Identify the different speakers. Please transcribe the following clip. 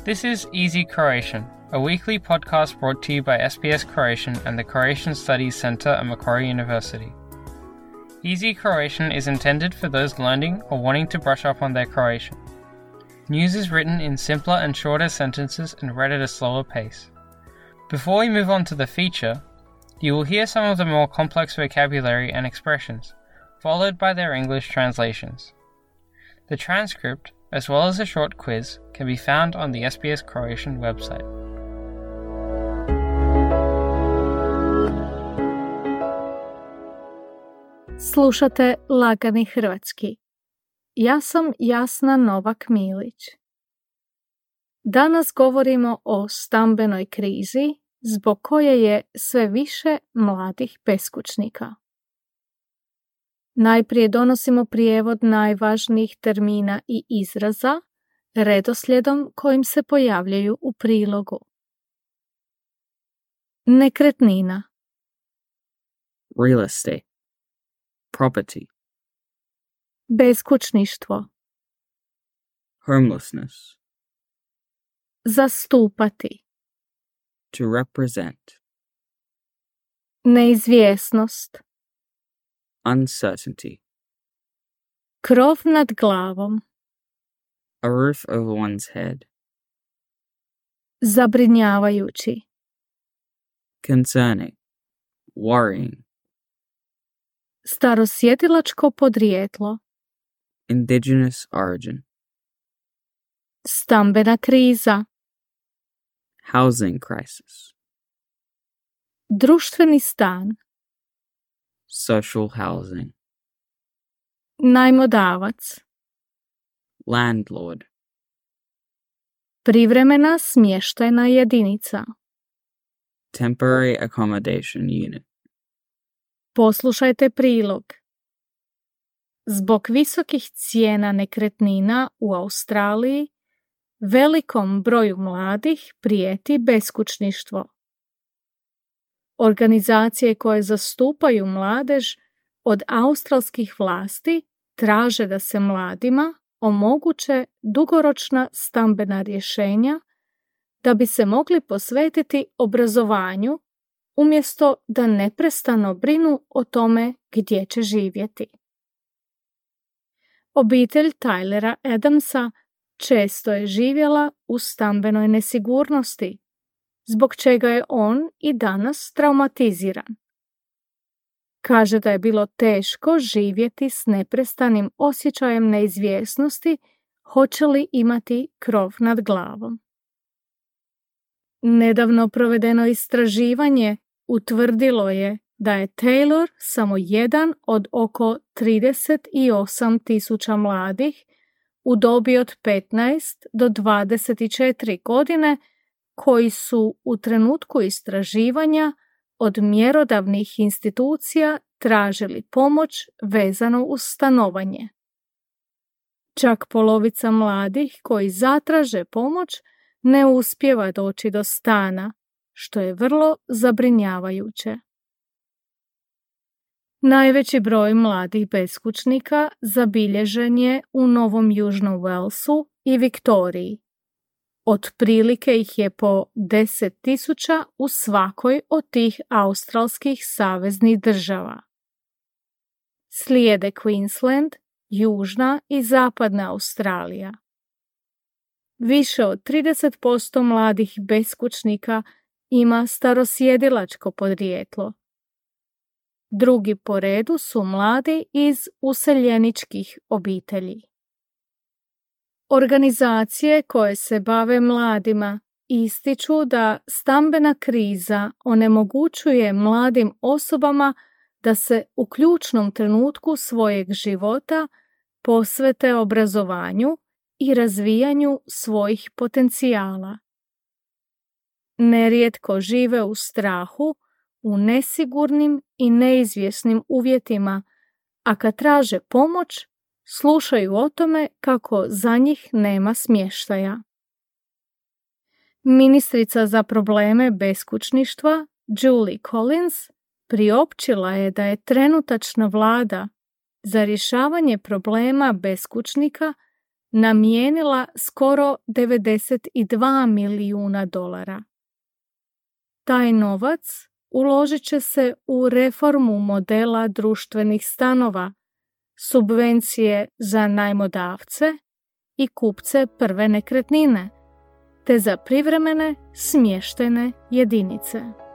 Speaker 1: This is Easy Croatian, a weekly podcast brought to you by SBS Croatian and the Croatian Studies Centre at Macquarie University. Easy Croatian is intended for those learning or wanting to brush up on their Croatian. News is written in simpler and shorter sentences and read at a slower pace. Before we move on to the feature, you will hear some of the more complex vocabulary and expressions, followed by their English translations. The transcript, as well as a short quiz, can be found on the SBS Croatian website.
Speaker 2: Slušate Lagani hrvatski. Ja sam Jasna Novak-Milić. Danas govorimo o stambenoj krizi zbog koje je sve više mladih beskućnika. Najprije donosimo prijevod najvažnijih termina i izraza redoslijedom kojim se pojavljaju u prilogu. Nekretnina.
Speaker 3: Real estate. Property.
Speaker 2: Beskućništvo.
Speaker 3: Homelessness.
Speaker 2: Zastupati.
Speaker 3: To represent.
Speaker 2: Neizvjesnost.
Speaker 3: Uncertainty.
Speaker 2: Krov nad glavom.
Speaker 3: A roof over one's head.
Speaker 2: Zabrinjavajući.
Speaker 3: Concerning. Worrying.
Speaker 2: Starosjedilačko podrijetlo.
Speaker 3: Indigenous origin.
Speaker 2: Stambena kriza.
Speaker 3: Housing crisis.
Speaker 2: Društveni stan.
Speaker 3: Social housing.
Speaker 2: Najmodavac.
Speaker 3: Landlord.
Speaker 2: Privremena smještajna jedinica.
Speaker 3: Temporary accommodation unit.
Speaker 2: Poslušajte prilog. Zbog visokih cijena nekretnina u Australiji, velikom broju mladih prijeti beskućništvo. Organizacije koje zastupaju mladež od australskih vlasti traže da se mladima omoguće dugoročna stambena rješenja da bi se mogli posvetiti obrazovanju umjesto da neprestano brinu o tome gdje će živjeti. Obitelj Tylera Adamsa često je živjela u stambenoj nesigurnosti, zbog čega je on i danas traumatiziran. Kaže da je bilo teško živjeti s neprestanim osjećajem neizvjesnosti hoće li imati krov nad glavom. Nedavno provedeno istraživanje utvrdilo je da je Taylor samo jedan od oko 38.000 mladih u dobi od 15 do 24 godine koji su u trenutku istraživanja od mjerodavnih institucija tražili pomoć vezano uz stanovanje. Čak polovica mladih koji zatraže pomoć ne uspijeva doći do stana, što je vrlo zabrinjavajuće. Najveći broj mladih beskućnika zabilježen je u Novom Južnom Walesu i Viktoriji. Otprilike ih je po 10.000 u svakoj od tih australskih saveznih država. Slijede Queensland, Južna i Zapadna Australija. Više od 30% mladih beskućnika ima starosjedilačko podrijetlo. Drugi po redu su mladi iz useljeničkih obitelji. Organizacije koje se bave mladima ističu da stambena kriza onemogućuje mladim osobama da se u ključnom trenutku svojeg života posvete obrazovanju i razvijanju svojih potencijala. Nerijetko žive u strahu, u nesigurnim i neizvjesnim uvjetima, a kad traže pomoć, slušaju o tome kako za njih nema smještaja. Ministrica za probleme beskućništva Julie Collins priopćila je da je trenutačna vlada za rješavanje problema beskućnika namijenila skoro $92 milijuna. Taj novac uložit će se u reformu modela društvenih stanova, subvencije za najmodavce i kupce prve nekretnine, te za privremene smještajne jedinice.